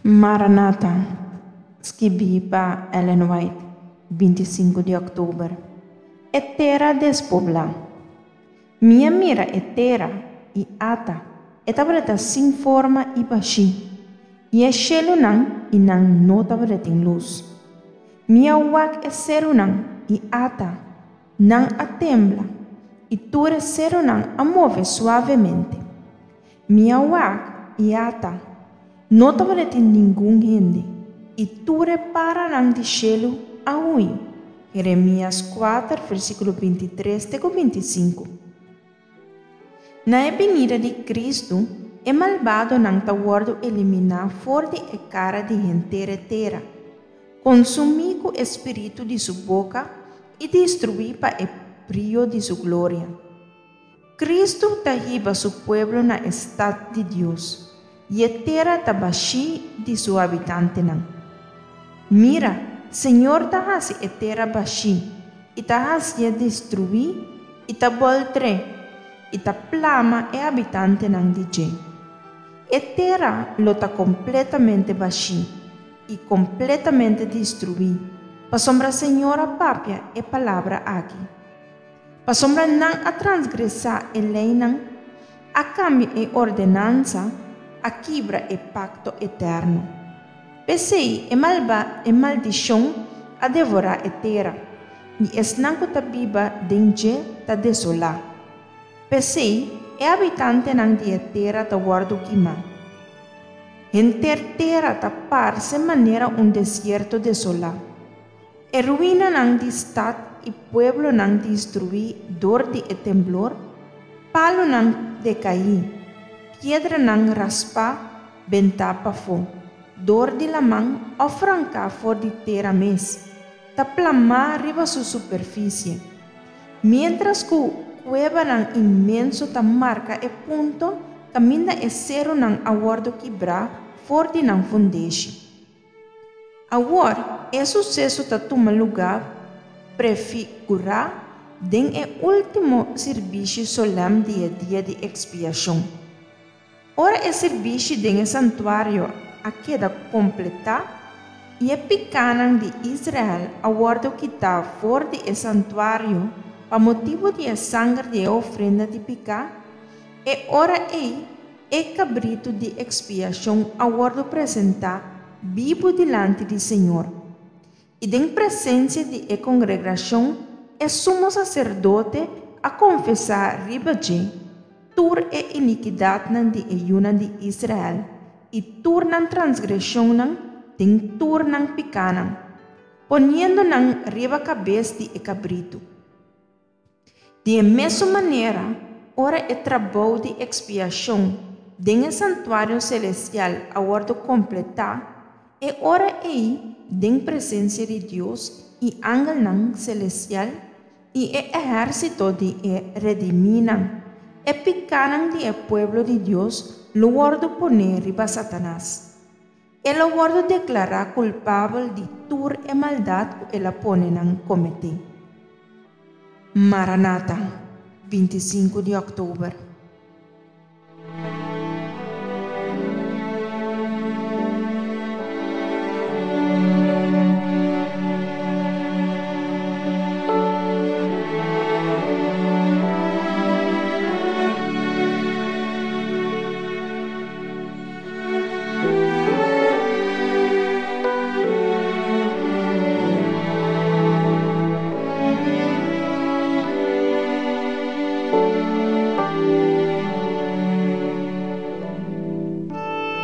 Maranata, skibí pa Ellen White, 25 di òktober. E tera despoblá. Mi a mira e tera, i ata, e tabata sin forma i bashí, i e shelunan, i nan no tabatin lus. Mi a wak e serunan, i ata, nan a tembla, i tur e serunan a move suavemente. Mi a wak, i ata, no tabatin ningun hende, i tur e paranan di shelu a hui. Jeremias 4, versíkulo 23 te ku 25. Na e binida di Kristu, e malbadonan ta wòrdu eliminá for di e kara di henter e tera, konsumí ku e spiritu di su boka i destruí pa e brio di su gloria. Kristu ta hiba su pueblo na e stat di Dios, i e tera ta bashí di su habitantenan. Mira, Señor ta hasi e tera bashí, i ta hasié destruí, i ta bòltr'é, i ta plama e habitantenan di dje. E tera lo ta kompletamente bashí i kompletamente destruí, pasobra Señor a papia e palabra aki. Pasobra nan a transgresá e leinan, a kambia e ordenansa, a kibra e pakto eterno. P'esei e malba e maldishon a devorá e tera, i esnan ku ta biba den dje ta desolá. P'esei e habitantenan di e tera ta wòrdu kimá. Henter tera ta parse manera un desierto desolá. E ruinanan di stat i pueblonan destruí dor di e temblor, palunan dekaí, piedranan raspá bentá pafó dor di laman òf ranká for di tera mes, ta plamá riba su superfisie. Miéntras ku kuebanan inmenso ta marka e punto kaminda e serunan a wòrdu kibrá for di nan fundeshi. Awor, e suseso ta tuma lugá prefigurá den e último sirbishi solèm di e Dia di Ekspiashon. Ora e sirbishi den e santuario a keda kompletá i e pikánan di Israel a wòrdu kitá for di e santuario pa motibu di e sanger di e ofrenda di piká, e ora ei E kabritu di ekspiashon a wòrdu presentá bibu dilanti di Señor, i den presensia di e kongregashon e sumo saserdote a konfesá riba dje tur e inikidatnan di e yunan di Israel i tur nan transgreshonnan den tur nan pikánan, poniendo nan riba kabes di e kabritu. Di e mesun manera, ora e trabou di ekspiashon den e santuario selestial a wòrdu kompletá, e ora ei, den presensia di Dios i angelnan selestial i e ehérsito di e redimínan, e pikánan di e pueblo di Dios lo wòrdu poné riba Satanas. E lo wòrdu deklará kulpabel di tur e maldat ku el a pone nan kometé. Maranata, 25 di òktober.